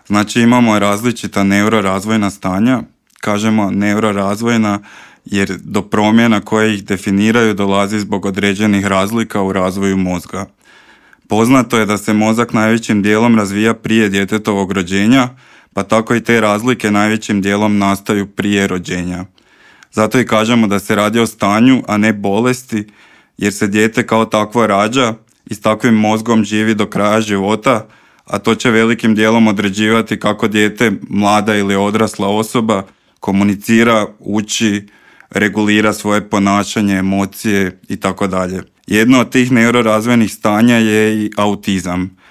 Znači imamo različita neurorazvojna stanja, kažemo neurorazvojna jer do promjena koje ih definiraju dolazi zbog određenih razlika u razvoju mozga. Poznato je da se mozak najvećim dijelom razvija prije djetetovog rođenja, pa tako i te razlike najvećim dijelom nastaju prije rođenja. Zato i kažemo da se radi o stanju, a ne bolesti, jer se dijete kao takvo rađa i s takvim mozgom živi do kraja života, a to će velikim dijelom određivati kako dijete, mlada ili odrasla osoba, komunicira, uči, regulira svoje ponašanje, emocije itd. Jedno od tih neurorazvojnih stanja je i autizam.